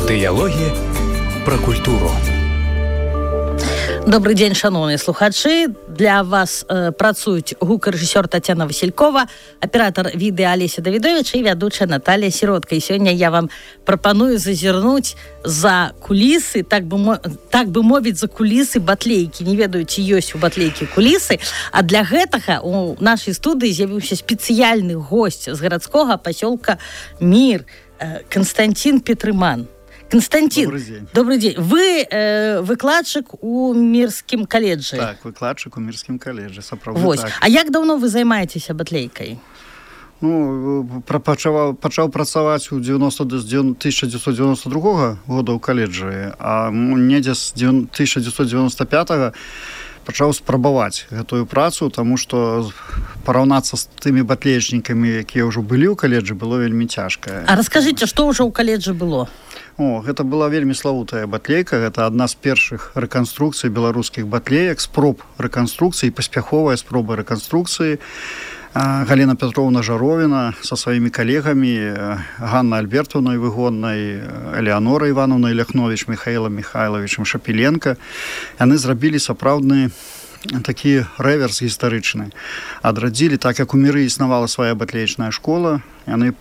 Дыялогі пра культуру. Добрый дзень, шановныя слухачы. Для вас працуюць гукарэжысёр Тацяна Васількова, аператор відэа Алеся Давідович і вядучая Наталія Сіротка. І сёння я вам прапаную зазірнуць за кулісы, так бы мовіць, за кулісы батлейкі. Не ведаю, ці ёсць у батлейкі кулісы. А для гэтага у нашай студыі з'явіўся спецыяльны госць з гарадскога пасёлка Мір, Константин Петрыман. Константин, добрый день. Вы выкладчик у Мірскім каледжы. Так, выкладчик у Мірскім каледжы, сапраўды так. А як даўно вы займаецеся батлейкай? Пачаў працаваць у 1992 года ў каледжы, а недзе з 1995 пачаў спрабаваць гэтую працу, таму што параўнацца з тымі батлеечнікамі, якія ўжо былі ў каледжы, было вельмі цяжка. А раскажыце, што ўжо ў каледжы было? Гэта была вельмі славутая батлейка. Гэта адна з першых рэканструкцый беларускіх батлеек, спроб рэканструкцыі, паспяховая спроба рэканструкцыі. Галина Петровна Жаровіна са сваімі калегамі, Ганна Альбертовной Выгоднай, Элеонора Ивановной Ляхнович, Михаилом Михайловичем Шапіленко. Яны зрабілі сапраўдны такі рэверс гістарычны. Адрадзілі, так як у Міры існавала свая батлеечная школа, яны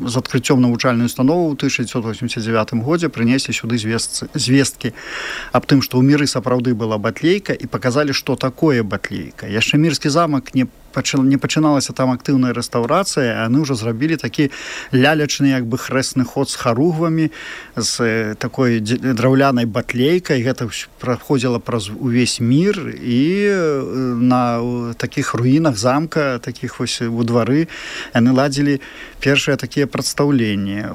з адкрыццём навучальнай установы ў 1989 годзе прынеслі сюды звесткі аб тым, што ў Міры сапраўды была батлейка, і паказалі, што такое батлейка. Яшчэ Мірскі замак не пачыналася там актыўная рэстаўрацыя, а яны ўжо зрабілі такі лялячны як бы хрэсны ход з харугвамі, з такой драўлянай батлейкай. Гэта праходзіла праз увесь Мір, і на такіх руінах замка, такіх вось у двары, яны ладзілі першыя такія прадстаўленні.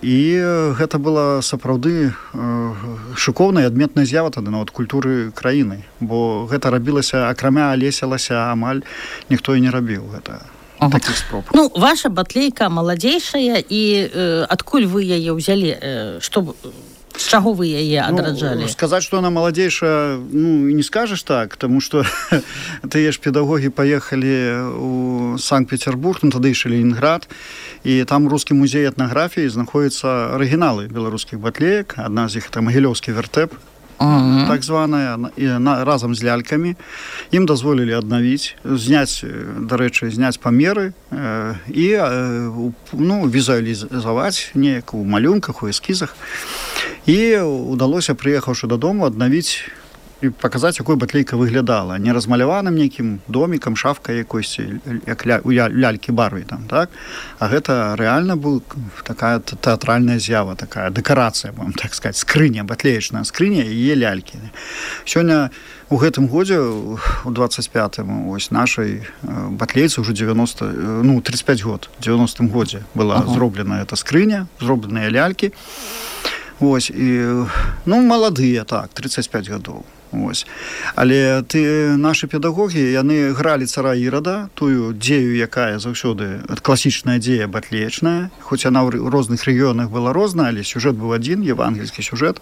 І гэта была сапраўды шыкоўная адметная з'ява тады нават культуры краіны, бо гэта рабілася акрамя Алеся амаль ніхто і не рабіў гэта. Такіх спроб. Ваша батлейка маладзейшая, і адкуль вы яе ўзялі? З чаго вы яе адраджалі? Сказаць, што она маладзейшая, не скажаш так, таму што тыя ж педагогі паехалі ў Санкт-Петербург, тады яшчэ Ленінград, і там рускі музей этнаграфіі знаходзяцца арыгіналы беларускіх батлеек. Адна з іх это Магілёўскі вертеп, так званая, разам з лялькамі. Ім дазволілі аднавіць, зняць памеры і візуалізаваць неяк у малюнках, у эскізах. І удалося, прыехаўшы дадому, аднавіць і паказаць, якой батлейка выглядала. Не размаляваным нейкім домікам, шафкай якойсьці, як у лялькі-барве там, так? А гэта рэальна была такая тэатральная з'ява, такая дэкарацыя, будем так сказаць, скрыня, батлеечная скрыня і яе лялькі. Сёння у гэтым годзе, у 25-м, ось нашай батлейцы ўжо 35 год, у 90-м годзе была зроблена эта скрыня, зробленыя лялькі. Маладыя, так, 35 гадоў. Але нашы педагогі, яны гралі цара Ірада, тую дзею, якая заўсёды класічная дзея батлеечная, хоць яна ў розных рэгіёнах была розная, але сюжэт быў адзін, евангельскі сюжэт,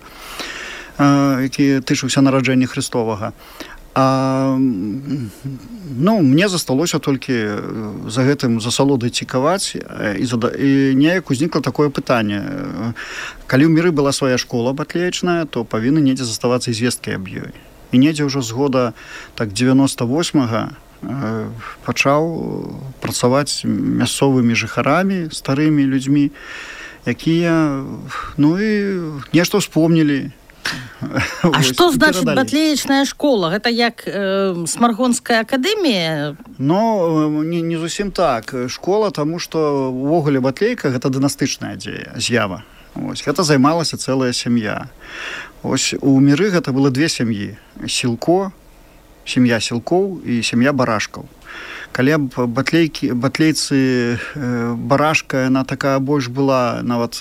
які тычыўся нараджэння Христовага. Мне засталося толькі за гэтым засалодай цікаваць, і неяк узнікла такое пытанне. Калі ў Міры была свая школа батлеечная, то павінны недзе заставацца і звесткі аб ёй. І недзе ўжо з года 98-га пачаў працаваць мясцовымі жыхарамі, старымі людзьмі, якія нешта ўспомнілі. А што значыць батлеечная школа? Гэта як Смаргонская акадэмія? Не зусім так. Школа, таму што увогуле батлейка гэта дынастычная з'ява. Гэта займалася цэлая сям'я. У Міры гэта было две сям'і. Сям'я сілкоў і сям'я барашкаў. Калі батлейцы барашка, яна такая больш была нават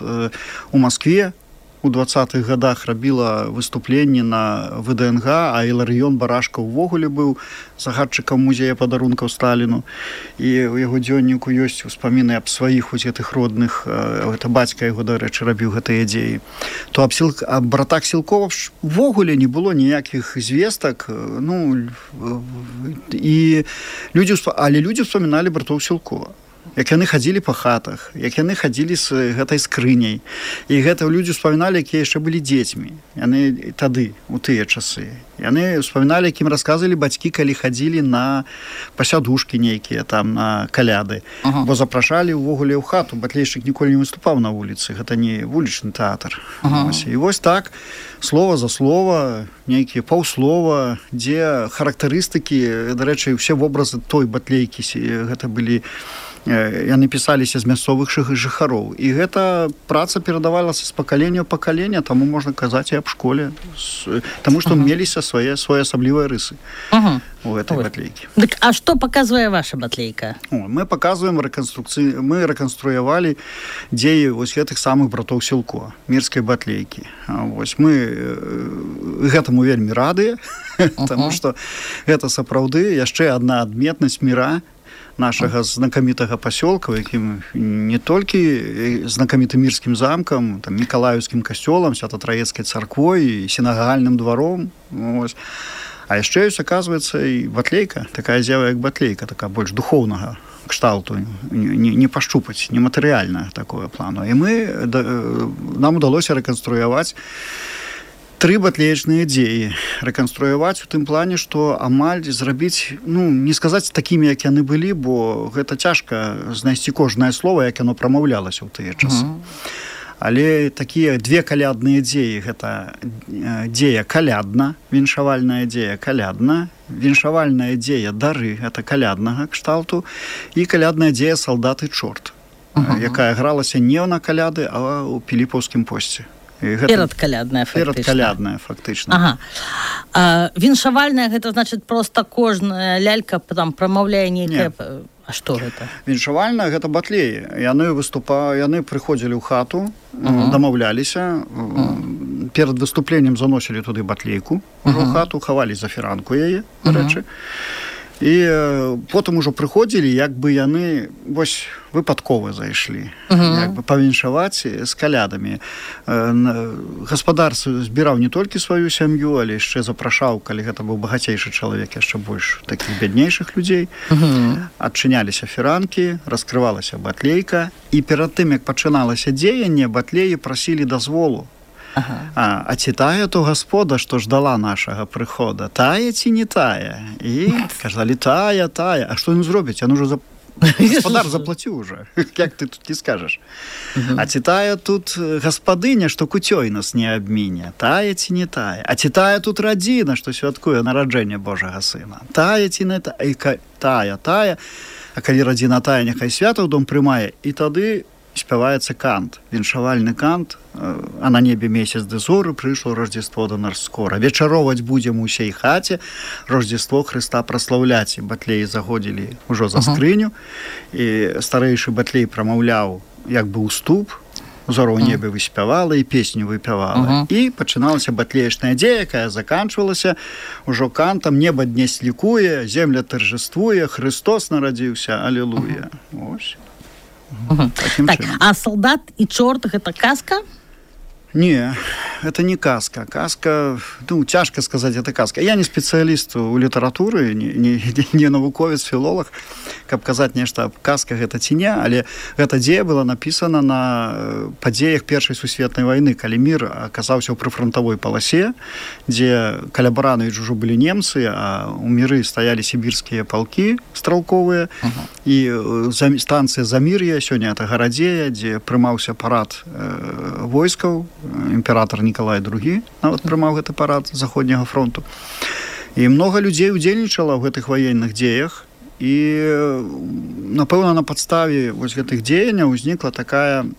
у Маскве, у 20-х годах рабіла выступленні на ВДНГ, а Іларыён Барашка ўвогуле быў загадчыкам музея падарункаў Сталіну. І ў яго дзённіку ёсць успаміны аб сваіх гэтых родных, гэта бацька яго, дарэчы, рабіў гэтыя дзеі. То аб братах Сілкова ўвогуле не было ніякіх звестак, але людзі ўспаміналі братоў Сілкова. як яны хадзілі па хатах, як яны хадзілі з гэтай скрыняй. І гэта людзі успаміналі, якія яшчэ былі дзецьмі. Яны тады, у тыя часы. Яны успаміналі, якім расказвалі бацькі, калі хадзілі на пасядушкі нейкія, там, на каляды. Бо запрашалі ўвогуле ў хату. Батлейшчык ніколі не выступаў на вуліцы. Гэта не вулічны тэатр. І вось так, слова за слова, нейкія паўслова, дзе характарыстыкі, дарэчы, ўсе вобразы той батлейкі, гэта былі яны пісаліся з мясцовых жыхароў. І гэта праца перадавалася з пакалення ў пакалення, таму можна казаць і аб школе. Таму што меліся свае асаблівыя рысы у гэтай батлейкі. Дык, а што паказвае ваша батлейка? Мы паказваем рэканструкцыі, мы рэканструявалі дзеі вось гэтых самых братоў Сілко, мірскай батлейкі. Вось мы гэтаму вельмі радыя, таму што гэта сапраўды яшчэ адна адметнасць міра нашага знакамітага пасёлка, якім не толькі знакамітым мірскім замкам, там, Мікалаеўскім касцёлам, Свято-Траецкай царквой і сінагагальным дваром. Ось. А яшчэ ёсць, аказваецца, і батлейка, такая з'ява, як батлейка, такая больш духоўнага кшталту, не пашчупаць, нематэрыяльна такое плану. І нам удалося рэканструяваць 3 батлеечныя дзеі, рэканструяваць у тым плане, што амаль зрабіць, не сказаць такімі, як яны былі, бо гэта цяжка знайсці кожнае слова, як яно прамаўлялася ў тыя часы. Але такія 2 калядныя дзеі, гэта дзея калядна, віншавальная дзея калядна, віншавальная дзея дары, гэта каляднага кшталту, і калядная дзея салдат і чорт, якая гралася не на каляды, а ў Піліпаўскім посце. Перадкалядная, фактычна. Перадкалядная, фактычна. Віншавальная, гэта значыць проста кожная лялька там прамаўляе нейкае... А што гэта? Віншавальная, гэта батлеі. Яны прыходзілі ў хату, дамаўляліся, перад выступленнем заносілі туды батлейку, ў хату, хавалі за фіранку яе, дарэчы. І потым ужо прыходзілі, як бы яны вось выпадкова зайшлі, як бы павіншаваць з калядамі. Гаспадар збіраў не толькі сваю сям'ю, але яшчэ запрашаў, калі гэта быў багацейшы чалавек, яшчэ больш такіх бяднейшых людзей. Адчыняліся фіранкі, раскрывалася батлейка, і перад тым, як пачыналася дзеянне, батлеі прасілі дазволу. А ці тая то гаспода, што ждала нашага прыхода, тая ці не тая? І казалі, тая. А што ён зробіць? Ён ужо гаспадар заплаціў уже. Як ты тут не скажаш? А ці тая тут гаспадыня, што куцёй нас не абміне? Тая ці не тая? А ці тая тут радзіна, што святкуе нараджэнне Божага Сына? Тая ці не тая? Тая. А калі радзіна тая, няхай свята ў дом прымае, і тады спяваецца кант, віншавальны кант, а на небе месяц ды зоры, прыйшло Рождество до нас скора. Вечароваць будзем у ўсей хаце, Рождество Хрыста праслаўляць. І батлеі заходзілі ўжо за скрыню, і старэйшы батлей прамаўляў як бы уступ, зору ў небе выспявала і песню выпявала. І пачыналася батлеечная дзея, якая заканчвалася ўжо кантам «Неба днесь лікуе, земля торжествуе, Христос нарадзіўся, алілуя». Ось. Так, а солдат і чорт гэта казка? Не, это не казка. Казка, цяжка сказаць, это казка. Я не спецыяліст у літаратуры, не навуковец, філолог, каб казаць нешта аб казках гэта ці не, але гэта дзея была напісана на падзеях Першай сусветнай вайны, калі мір аказаўся ў прыфрантавой паласе, дзе каля Барановіч ужо былі немцы, а ў міры стаялі сібірскія палкі стралковыя, і станцыя Замір'я, сёння это Гарадзея, дзе прымаўся парад войскаў, імператор Нікалай II нават прымаў гэты парад заходняга фронту. І многа людзей удзельнічала ў гэтых ваенных дзеях, і, напэўна, на падставе вось гэтых дзеянняў узнікла такая...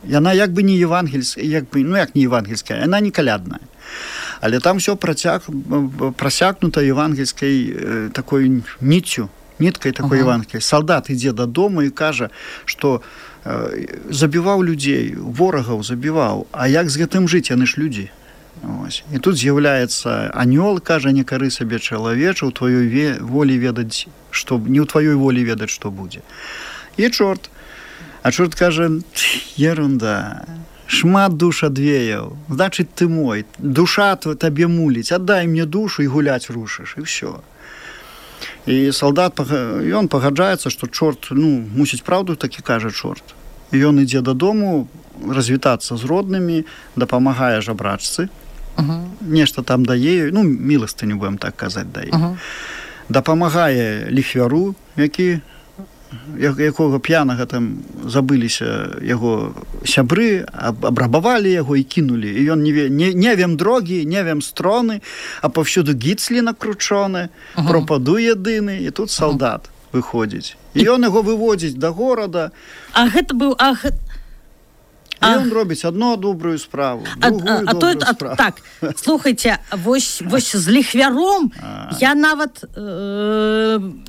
Яна як бы не евангельская, як не евангельская, яна не калядная. Але там ўсё прасякнута евангельскай такой ніткай такой евангельскай. Салдат ідзе дадому і кажа, што забіваў людзей, ворагаў забіваў, а як з гэтым жыць, яны ж людзі. Ось. І тут з'яўляецца анёл, кажа, не кары сабе чалавеча, у тваёй волі ведаць, што не ў тваёй волі ведаць, што будзе. І чорт. А чорт кажа, ерунда, шмат душ адвеяў, значыць, ты мой, душа табе муліць, аддай мне душу і гуляць рушыш, і ўсё. І салдат, ён пагаджаецца, што чорт, мусіць праўду, такі кажа чорт. І ён ідзе дадому развітацца з роднымі, дапамагае жабрачцы, нешта там дае, міластыню, будем так казаць, дае. Дапамагае ліхвяру, якога п'янага там забыліся яго сябры, абрабавалі яго і кінулі. І ён не вем дрогі, не вем строны, а павсюду гіцлі накручоны, пропаду єдины, і тут салдат выходзіць. І ён яго выводзіць да горада. А гэта быў... І ён робіць одну добрую справу, другую добрую справу. Так, слухайце, вось з ліхвяром я нават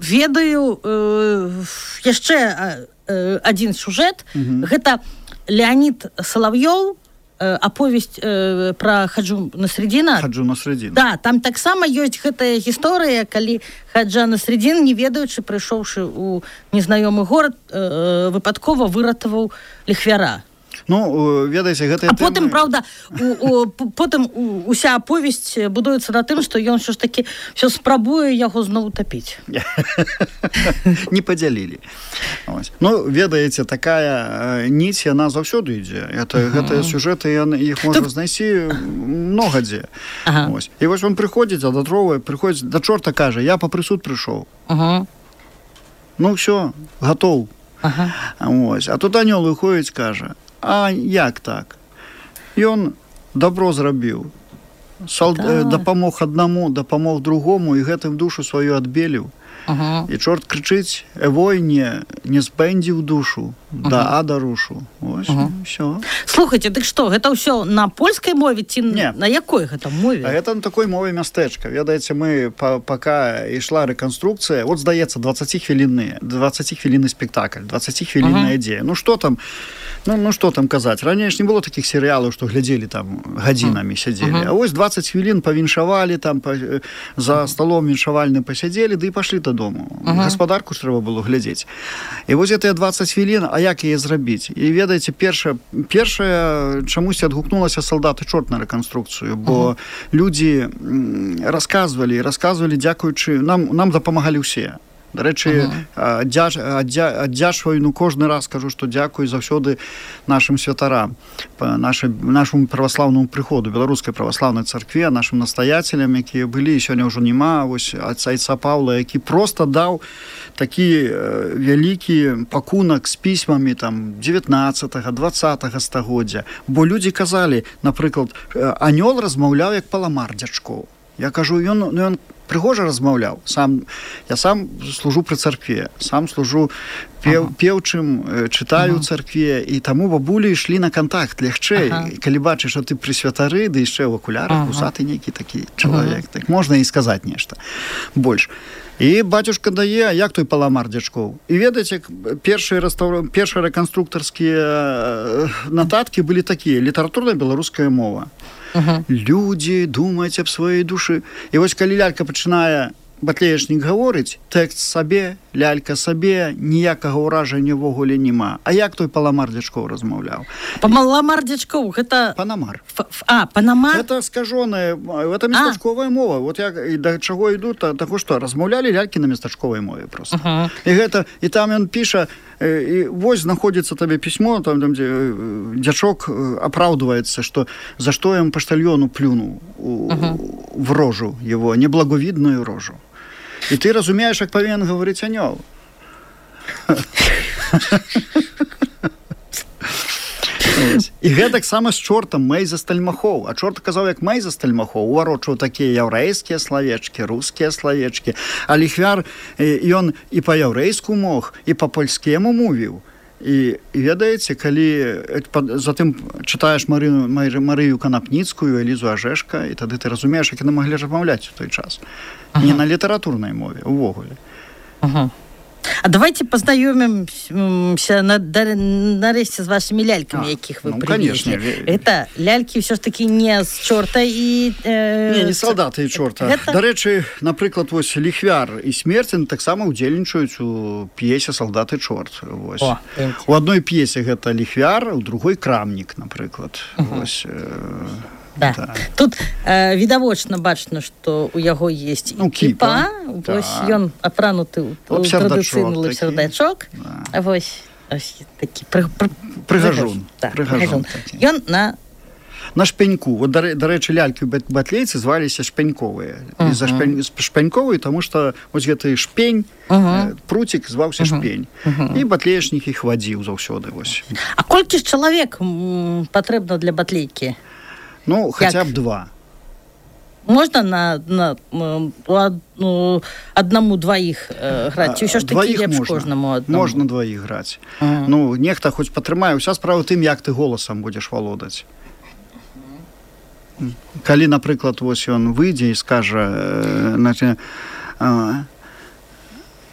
ведаю яшчэ адзін сюжэт. Гэта Леонид Соловьёў, аповесць пра Хаджу Насреддина. Хаджу Насреддина. Да, там таксама ёсць гэтая гісторыя, калі Хаджа Насреддин, не ведаючы, прыйшоўшы ў незнаёмы горад, выпадкова выратаваў ліхвяра. Ведаеце, гэтая тэма... А потым, правда, потым уся аповесць будуецца на тым, што ён ўсё ж такі ўсё спрабуе яго зноў утапіць. Не падзялілі. Ведаеце, такая ніць, яна заўсёды ідзе. Гэтыя сюжэты, іх можна знайсці многа дзе. І вось он прыходзіць, прыходзіць да чорта, кажа, я па прысуд прыйшоў. Ўсё, гатоў. А тут анёл выходзіць, кажа, а як так? Ён добро зрабіў. Дапамог аднаму, дапамог другому, і гэтым душу сваю адбеліў. І чорт крычыць, войне не спэндзіў душу, да ада рушу. Вось, ўсё. Слухайце, дык што, гэта ўсё на польскай мове ці на якой гэта мове? Гэта на такой мове мястэчка. Ведаеце, мы, пака ішла рэканструкцыя, здаецца, 20-хвілінны спектакль, 20-хвілінная ідзея. Што там казаць? Раней ж не было такіх серыялаў, што глядзелі там гадзінамі сядзелі. А вось 20 хвілін павіншавалі, там за сталом віншавальным пасядзелі, ды і пашлі дадому. Гаспадарку ж трэба было глядзець. І вось гэтыя 20 хвілін, а як яе зрабіць? І ведаеце, першае чамусьці адгукнулася салдат і чорт на рэканструкцыю, бо людзі расказвалі, дзякуючы, нам дапамагалі ўсе. Дарэчы, аддзячваю, кожны раз кажу, што дзякую заўсёды нашым святарам, нашаму праваслаўнаму прыходу, беларускай праваслаўнай царкве, нашым настаяцелям, якія былі, сёння ўжо няма, вось айца Паўла, які проста даў такі вялікі пакунак з пісьмамі 19-20 стагоддзя. Бо людзі казалі, напрыклад, анёл размаўляў як паламар дзячкоў. Я кажу, ён прыгожа размаўляў. Я сам служу пры царкве, сам служу пеўчым, чытаю ў царкве, і таму бабулі ішлі на кантакт лягчэй. І калі бачыш, што ты пры святары, ды яшчэ ў акулярах, вусаты нейкі такі чалавек, так можна і сказаць нешта больш. І бацюшка дае, як той паламар дзячкоў. І ведаеце, першыя рэканструктарскія нататкі былі такія: літаратурная беларуская мова. Людзі думаюць аб сваёй душы. І вось калі лялька пачынае, батлеечнік гаворыць, тэкст сабе, лялька сабе, ніякага ўражання ўвогуле няма. А як той паламар дзячкоў размаўляў? Паламар дзячкоў, гэта... Панамар. Панамар? Гэта скажоная, гэта местачковая мова. Вот як і да чаго іду, таго што, размаўлялі лялькі на местачковай мове проста. І там ён піша, і вось знаходзіцца табе пісьмо, там дзе дзячок апраўдваецца, што за што ён паштальёну плюнуў в рожу его, неблаговидную рожу. І ты разумееш, як павінен гаварыць анёл. І гэтак сама з чортам Мэйза Стальмахоў. А чорт казаў, як Мэйза Стальмахоў, уварочваў такія яўрэйскія славечкі, рускія славечкі. А ліхвяр, ён і па-яўрэйску мог, і па-польскему мовіў. І ведаеце, калі затым чытаеш Марыю Канапніцкую, Элізу Ажэшка, і тады ты разумееш, як яны маглі размаўляць у той час. Не на літаратурнай мове, увогуле. А давайте познаёмимся нарэшце з вашими ляльками, якіх вы привезли. Это лялькі ўсё ж таки не з чорта і... Не салдаты і чорта. Дарэчы, напрыклад, вось ліхвяр і смерцін таксама удзельнічаюць у п'есе «Салдат і чорт». У адной п'есе гэта ліхвяр, у другой крамнік, напрыклад. Да. Тут відавочна бачна, што у яго есть кіпа, вось ён апрануты ў традыцыйны лапсердачок, вось такі прыгажун. Ён на шпеньку. Вот, дарэчы, лялькі ў батлейцы зваліся шпеньковыя. З-за шпеньковыя, таму што вось гэты шпень, пруцік зваўся шпень. І батлеечнік іх вадзіў заўсёды. А колькі ж чалавек патрэбна для батлейкі? Ну, хаця б 2. Можна на аднаму-дваіх граць? Ці ўсё ж такі лепш кожнаму аднаму? Можна 2 граць. Ну, нехта хоць патрымае. Уся справа тым, як ты голасам будзеш валодаць. Калі, напрыклад, вось ён выйдзе і скажа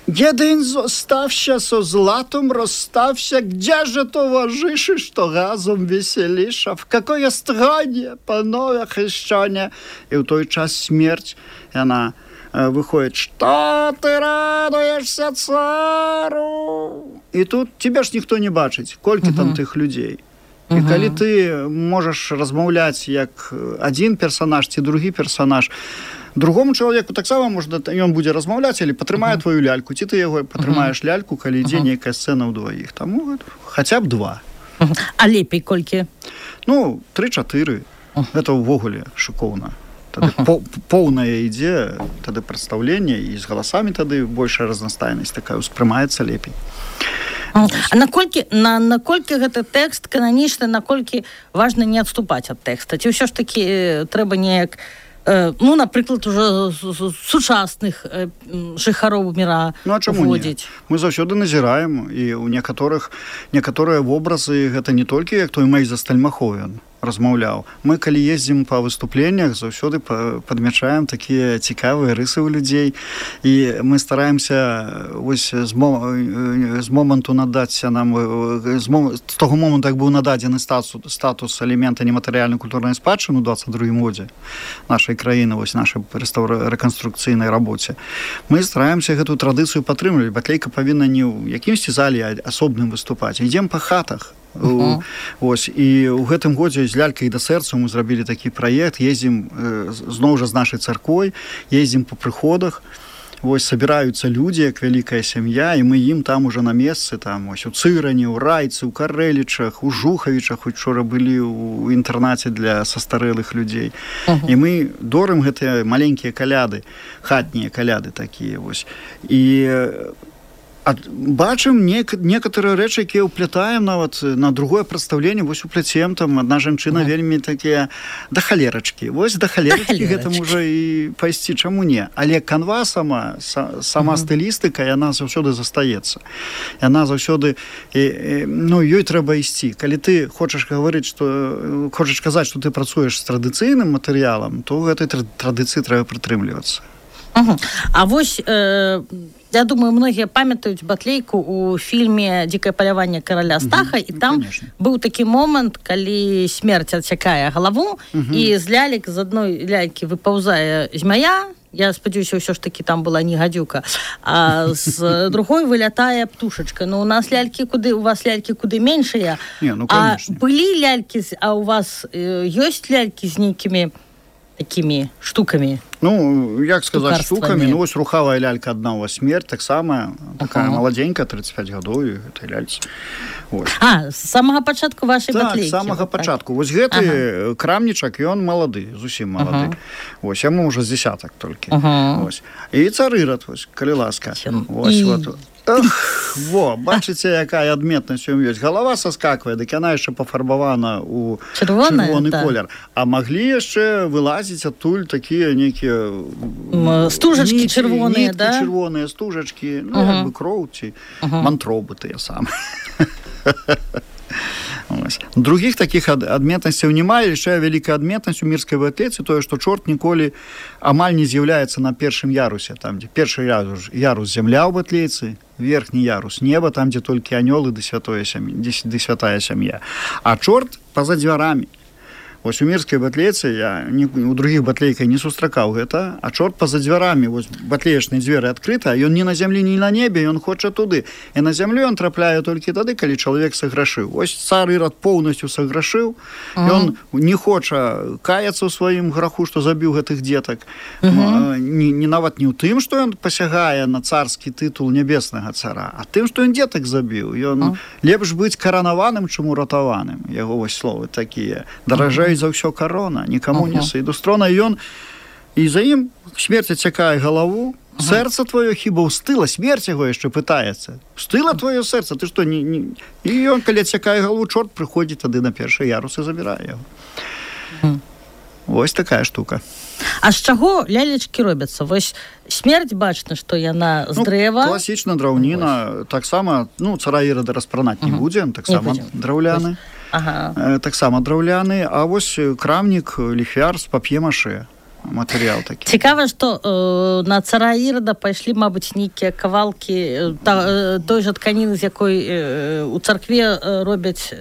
«Един зостався со златом, розстався, где же товариші, що разом веселіша? В какое страдання, панове хрещення?» І в той час смерть, і вона виходить «Що ти радуєшся, цару?» І тут тебе ж ніхто не бачить, колькі там тих людей. І калі ты можаш размаўляць як адзін персанаж ці другі персанаж, другому чалавеку таксама можна, ён будзе размаўляць, але патрымае твою ляльку, ці ты яго патрымаеш ляльку, калі ідзе нейкая сцэна ўдваіх. Таму хаця б 2. А лепей колькі? Ну, 3-4. Гэта ўвогуле шыкоўна. Тады поўнае ідзе, тады прадстаўленне, і з галасамі тады большая разнастайнасць такая ўспрымаецца лепей. А наколькі гэты тэкст кананічны, наколькі важна не адступаць ад тэкста? Ці ўсё ж такі трэба неяк, ну, напрыклад, ужо сучасных жыхароў міра уводзіць? Ну, а чаму не? Мы заўсёды назіраем, і ў некаторыя вобразы гэта не толькі, як той Мэйза Стальмаховен размаўляў. Мы, калі ездзім па выступленнях, заўсёды падмячаем такія цікавыя рысы ў людзей, і мы стараемся вось з моманту надаць нам, з таго моманту, як быў нададзены статус элемента нематэрыяльнай культурнай спадчыны ў 22 годзе нашай краіны, вось нашай рэканструкцыйнай рабоце. Мы стараемся гэтую традыцыю падтрымліваць. Батлейка павінна не ў якімсьці зале, а асобным выступаць. Ідзем па хатах. Ось, і ў гэтым годзе з лялькай да сэрцу мы зрабілі такі праект, ездзім зноў жа з нашай царквой, ездзім па прыходах, вось сабіраюцца людзі, як вялікая сям'я, і мы ім там уже на месцы, там ось у Цырані, у Райцы, у Карэлічах, у Жухавічах, учора былі ў інтэрнаце для састарэлых людзей. І мы дорым гэтыя маленькія каляды, хатнія каляды такія вось. І бачым некаторыя рэчы, якія ўплятаем нават на другое прадстаўленне, вось упляцем там адна жанчына вельмі такія да халерачкі. Вось да халерачкі гэта можа і пайсці, чаму не? Але канва сама стылістыка, яна заўсёды застаецца. Яна заўсёды, ну, ёй трэба ісці. Калі ты хочаш казаць, што ты працуеш з традыцыйным матэрыялам, то гэтай традыцыі трэба прытрымлівацца. А вось я думаю, многія памятаюць батлейку ў фільме «Дзікае паляванне караля Стаха», і там быў такі момант, калі смерць адсякае галаву, і з лялек, з адной лялькі выпаўзае змяя, я спадзяюся, ўсё ж такі там была не гадзюка, а з другой вылятае птушачка. Ну, у вас лялькі куды меншыя, а былі лялькі, а у вас ёсць лялькі з нейкімі такими штуками? Ну, як сказаць, штуками? Ну, вось рухавая лялька адна у вас смерть, таксама такая маладзенькая, 35 гадоў, і гэтай ляльцы. А, з самага пачатку вашай батлейкі? Так, з самага пачатку. Вось гэты крамнічак, ён малады, зусім малады. Вось, яму ўжо з дзесятак толькі. І царырад, вось, калі ласка. Вось, вот. Во, бачыце, якая адметнасць у ёсць. Галава саскаквае, дык яна яшчэ пафарбавана ў чырвоны колер. А маглі яшчэ вылазіць адтуль такія нейкія стужачкі чырвоныя, да? Чырвоныя стужачкі, ну, як бы кроў ці мантробы тыя самыя. Другіх такіх адметнасцяў няма. Яшчэ вялікая адметнасць у мірскай батлейцы тое, што чорт ніколі амаль не з'яўляецца на першым ярусе, там, дзе першы ярус зямля ў батлейцы, верхні ярус неба, там, дзе толькі анёлы ды святая сям'я. А чорт па-за дзвярамі. Вось у мірскай батлейцы я у другіх батлейках не сустракаў гэта, а чорт па-за дзвярамі, вось батлеечныя дзверы адкрыты, а ён не на зямлі, ні на небе, ён хоча туды. І на зямлю ён трапляе толькі тады, калі чалавек саграшыў. Вось цар Ірад поўнасцю саграшыў, ён не хоча каяцца ў сваім граху, што забіў гэтых дзетак. Нават не ў тым, што ён пасягае на царскі тытул нябеснага цара, а тым, што ён дзетак забіў. Ён лепш быць каранаваным, чым уратаваным. Яго вось словы такія. Даражэй за ўсё карона, нікаму не сыйду з трона. І за ім смерць цякае галаву, сэрца твоё хіба ўстыла, смерць яго яшчэ пытаецца. Устыла твоё сэрца, ты што? І ён, калі цякае галаву, чорт прыходзіць тады на першы ярус і забірае яго. Вось такая штука. А з чаго лялечкі робяцца? Вось смерць бачна, што яна з дрэва. Класічна драўніна, таксама, цара Ірада распранаць не будзе, таксама драўляны. Таксама драўляны, а вось крамнік, ліхвяр з пап'е-маше. Матэрыял такі. Цікава, што на цара Ірада пайшлі, мабыць, нейкія кавалкі той жа тканіны, з якой у царкве робяць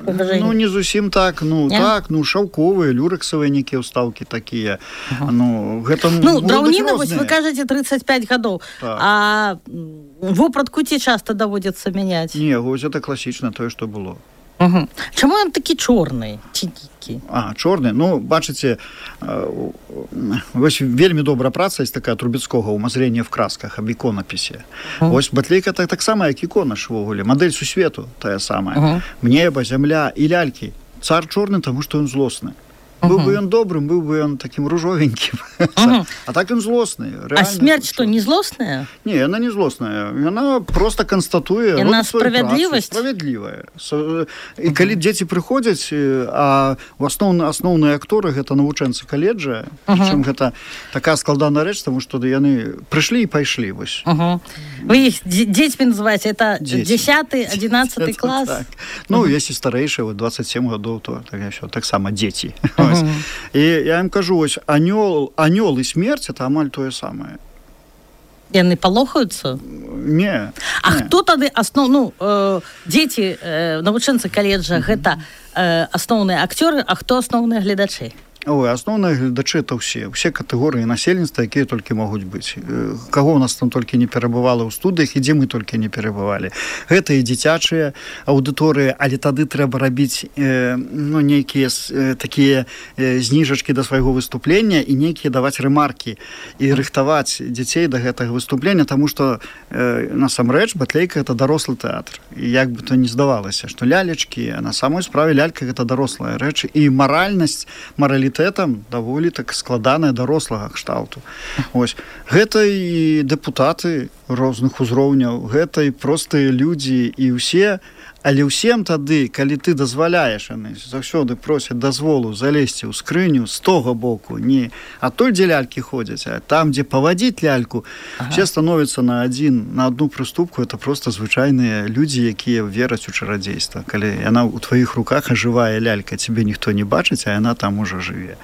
паважэнне. Не зусім так, шаўковыя, люрэксавыя нейкія ўстаўкі такія. Гэта драўніна, вось вы кажаце 35 гадоў. А вопратку ці часта даводзіцца мяняць? Не, вось гэта класічна тое, што было. Чаму ён такі чорны ці нейкі? Чорны, бачыце, вось вельмі добрая праца есть такая Трубецкога «Умазрение в красках» аб іконапісе. Вось батлейка таксама як ікона ж увогуле, мадэль сусвету тая самая. Неба, зямля і лялькі. Цар чорны, таму што ён злосны. Быў бы ён добрым, быў бы ён такім ружовенькім. А так ён злосны. А смерць што, не злосная? Не, яна не злосная. Яна проста канстатуе... Яна справядлівасць? Справядлівая. І калі дзеці прыходзяць, а асноўныя акторы гэта навучэнцы каледжа, прычым гэта такая складаная рэч, таму што яны прыйшлі і пайшлі. Вы іх дзецьмі называеце? Это 10-11 клас? Если старэйшыя, 27 гадоў, то таксама дзеці. І я ім кажу, вось, анёл і смерць – это амаль тое самае. Яны палохаюцца? Не. А хто тады дзеці, навучэнцы каледжа, гэта асноўныя акцёры, а хто асноўныя гледачы? Асноўныя гледачы – это ўсе катэгорыі насельніцтва, якія толькі могуць быць. Каго ў нас там толькі не перабывала ў студыях, і дзе мы толькі не перабывалі. Гэта і дзіцячыя аўдыторыі, але тады трэба рабіць нейкія такія зніжачкі да свайго выступлення і нейкія даваць рэмаркі і рыхтаваць дзяцей да гэтага выступлення, таму што насамрэч батлейка – это дарослы тэатр. І як бы то не здавалася, што лялечкі, на самой справе лялька – гэта дарослая рэч, і маралітэтам даволі так складаная дарослага кшталту. Ось. Гэта і дэпутаты розных узроўняў, гэта і простыя людзі, і ўсе, але ўсім тады, калі ты дазваляеш, яны заўсёды просяць дазволу залезці ў скрыню з того боку, не адтуль, дзе лялькі ходзяць, а там, дзе павадзіць ляльку, все становяцца на одну прыступку, это просто звычайныя людзі, якія вераць у чарадзейства. Калі яна ў тваіх руках ажывае лялька, цябе ніхто не бачыць, а яна там ужо жыве.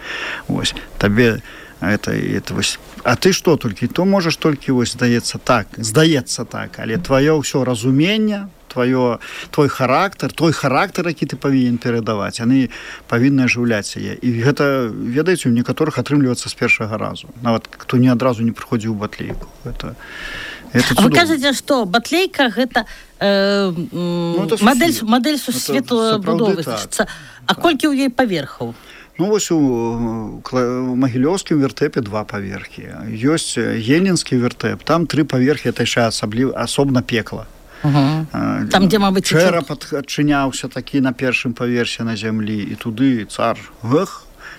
Вось, табе вось. А ты што толькі? То можаш толькі, вось, здаецца так, але тваё ўсё разуменне, твой характар, які ты павінен перадаваць, яны павінны ажыўляць яе. І гэта, ведаеце, у некаторых атрымліваецца з першага разу. Нават хто ні адразу не прыходзіў у батлейку. Гэта вы кажаце, што батлейка гэта мадэль сусветабудовы. А колькі ў ёй паверхаў? Вось у Магілёўскім вертэпе 2 паверхі. Ёсць Ельнінскі вертэп, там 3 паверхі, это яшчэ асобна пекла. Там, дзе, мабыць, чэрап адчыняўся такі на першым паверсе на зямлі, і туды цар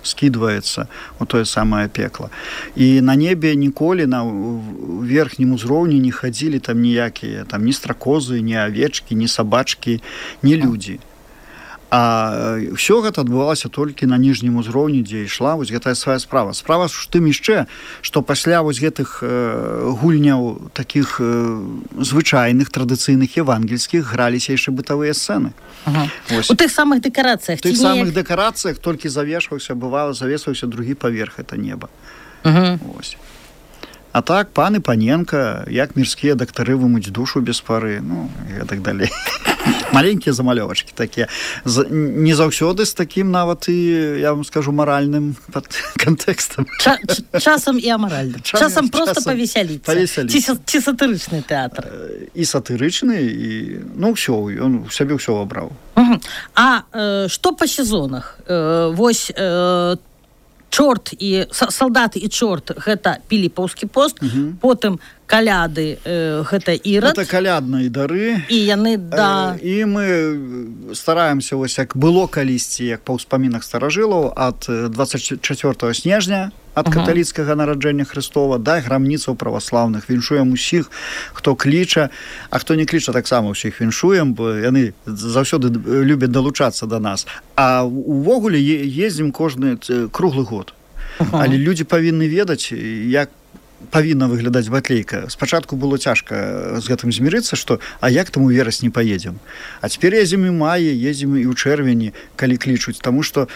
скідваецца у тое самае пекла. І на небе ніколі на верхнім узроўні не хадзілі там ніякія, там ні стракозы, ні авечкі, ні сабачкі, ні людзі. А ўсё гэта адбывалася толькі на ніжнім узроўні, дзе ішла вось гэтая свая справа. Справа ж тым яшчэ, што пасля вось гэтых гульняў такіх звычайных, традыцыйных, евангельскіх граліся яшчэ бытавыя сцэны. У тых самых дэкарацыях? У тых самых дэкарацыях толькі завесваўся другі паверх, это неба. Вось. А так, пан і паненка, як мірскія дактары вымыць душу без пары, і так далей. Маленькія замалёвачкі такія. Не заўсёды з такім нават і, я вам скажу, маральным кантэкстам. Часам і амаральным. Часам проста павесяліцца. Ці сатырычны тэатр? І сатырычны, і, ну, ўсё, ён у сябе ўсё абраў. А што па сезонах? Вось чорт і салдаты і чорт гэта піліпаўскі пост, потым каляды гэта ірад. Гэта калядныя дары. І яны і мы стараемся, вось як было калісьці, як па ўспамінах старажылаў, ад 24 снежня ад каталіцкага нараджэння Хрыстова да грамніцаў праваслаўных. Віншуем усіх, хто кліча, а хто не кліча, таксама ўсіх віншуем, бо яны заўсёды любяць далучацца да нас. А увогуле ездзім кожны круглы год. Але людзі павінны ведаць, як павінна выглядаць батлейка. Спачатку было цяжка з гэтым змірыцца, што а як там у верасні паедзем. А цяпер ездзім і маі, ездзім і ў чэрвені, калі клічуць, таму што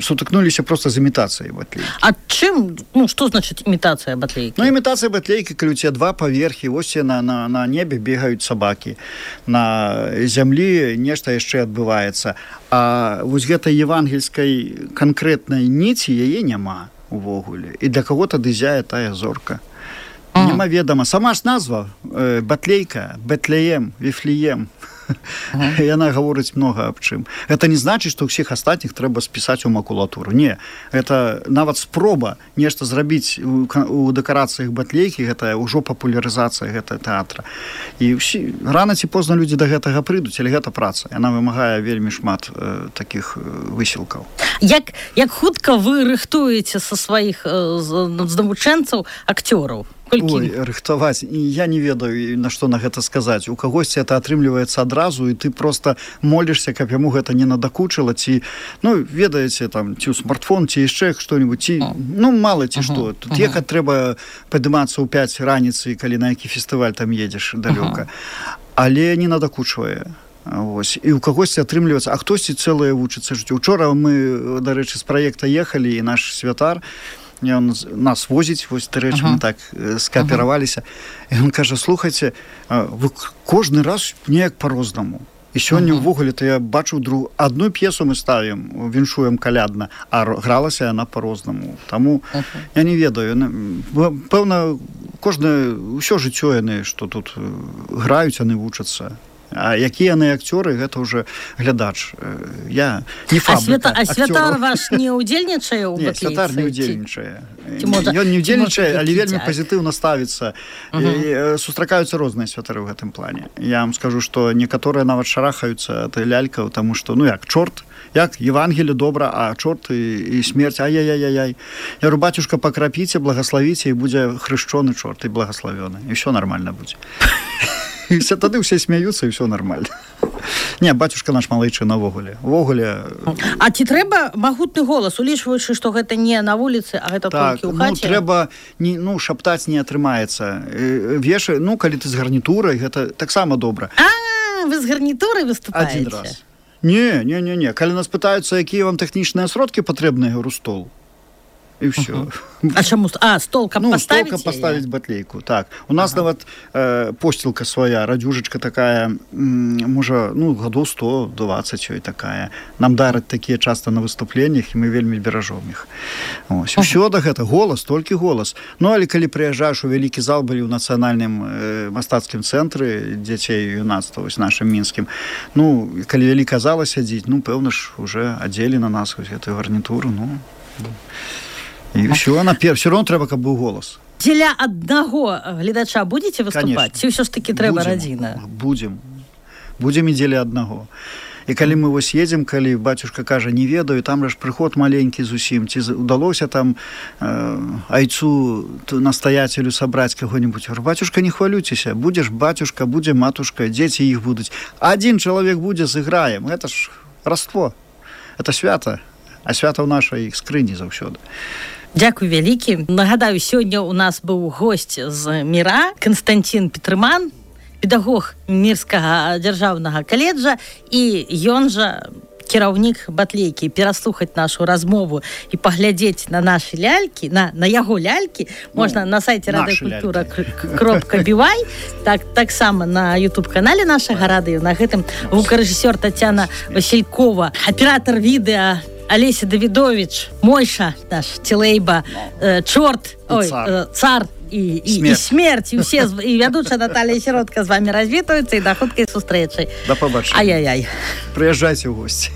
сутыкнуліся проста з імітацыяй батлейкі. А чым, ну, што значыць імітацыя батлейкі? Ну, імітацыя батлейкі, калі у цябе два паверхі, вось на небе бегаюць сабакі, на зямлі нешта яшчэ адбываецца. А вось гэтай евангельскай канкрэтнай ніці яе няма увогуле. І для каго тады зяе тая зорка. Немаведама. Сама ж назва батлейка, Бетлеем, Вифлеем. Яна гаворыць многа аб чым. Гэта не значыць, што ўсіх астатніх трэба спісаць у макулатуру. Не. Гэта нават спроба нешта зрабіць у дэкарацыях батлейкі, гэта ўжо папулярызацыя гэтага тэатра. І рана ці позна людзі да гэтага прыйдуць, але гэта праца. Яна вымагае вельмі шмат такіх высілкаў. Як хутка вы рыхтуеце са сваіх навучэнцаў акцёраў? Ой, рыхтаваць. І я не ведаю, на што на гэта сказаць. У кагосьці это атрымліваецца адразу, і ты проста молішся, каб яму гэта не надакучыла, ці, ну, ведаеце, там, ці ў смартфон, ці яшчэ што-нибудь, ці, ну, мала ці што. Тут ехаць трэба падымацца ў 5 раніцы, калі на які фестываль там едзеш далёка. Але не надакучвае. Вось. І ў кагосьці атрымліваецца, а хтосьці цэлае вучыцца жыццё. Учора мы, дарэчы, з праекта ехалі, і наш святар, ён нас возіць, вось, дарэчы, мы так скаапераваліся. І ён кажа, слухайце, вы кожны раз неяк па-рознаму. І сёння ўвогуле-то я бачу адну п'есу мы ставім, віншуем калядна, а гралася яна па-рознаму. Таму я не ведаю. Пэўна, кожнае, ўсё жыццё яны, што тут граюць, яны вучацца. А якія яны акцёры, гэта ўжо глядач. Я не фабрыка. А святар ваш не ўдзельнічае ў батлейцы? Не, святар не ўдзельнічае. Ён не ўдзельнічае, але вельмі пазітыўна ставіцца. Сустракаюцца розныя святары ў гэтым плане. Я вам скажу, што некаторыя нават шарахаюцца ад лялькаў, таму што, ну як, чорт, як Евангелие добра, а чорт і смерць, ай-яй-яй-яй. Я говорю, батюшка, пакрапіце, благословіце, і будзе хрышчоны чорт, і благословёны. І ўсё нармальна будзе. І все тады ўсе смяюцца, і ўсё нармальна. Не, батюшка наш малайчы навогуле. А ці трэба магутны голас, улічваючы, што гэта не на вуліцы, а гэта толькі ў хаце? Так, трэба, шаптаць не атрымаецца. Вешы, калі ты з гарнітурай, гэта таксама добра. Вы з гарнітурай выступаеце? Адзін раз. Не. Калі нас пытаюцца, якія вам тэхнічныя сродкі патрэбныя, я говорю, стол. І ўсё. А чаму? Стол, каб паставіць? Стол, каб паставіць батлейку, так. У нас нават посцілка свая, радзюжачка такая, можа, гадоў 120 ёй такая. Нам дараць такія часта на выступленнях, і мы вельмі беражом іх. Усё да гэта, голас, толькі голас. Але калі прыязджаеш у вялікі зал, былі ў нацыянальным мастацкім цэнтры дзяцей і юнацтва, вось нашым мінскім, калі вялікая зала сядзіць, пэўна ж, уже адзелі на нас вось гэтую гарнітуру, і ўсё, все роўно трэба, каб быў голас. Дзеля аднаго гледача будзеце выступаць? Ці ўсё ж такі трэба радзіна? Будзем і дзеля аднаго. І калі мы вось едзем, калі батюшка кажа, не ведаю, там ж прыход маленькі зусім, ці удалося там айцу настаяцелю сабраць каго-нибудь. Батюшка, не хвалюйцеся, будзеш батюшка, будзе матушка, дзеці іх будуць. Адзін чалавек будзе, зыграем. Гэта ж раство. Это свята. А свята ў нашай скрыні заўсёды. Дзякуй вялікі. Нагадаю, сёння у нас быў госць з Міра, Канстанцін Петрыман, педагог Мірскага дзяржаўнага каледжа, і ён жа кіраўнік батлейкі, пераслухаць нашу размову і паглядзець на нашы лялькі, на яго лялькі, можна на сайце радыёкультура.бівай, таксама на YouTube-канале нашага радыё. На гэтым гукарэжысёр Тацяна Василькова, аператор відэа Олеся Давидович, Мойша, наш Тілейба, Чорт, цар і смерть, і вядучая Наталія Сіротка з вами развітаюцца і да хуткай сустрэчы. Да побачення. Ай-яй-яй. Прыязджайце ў госці.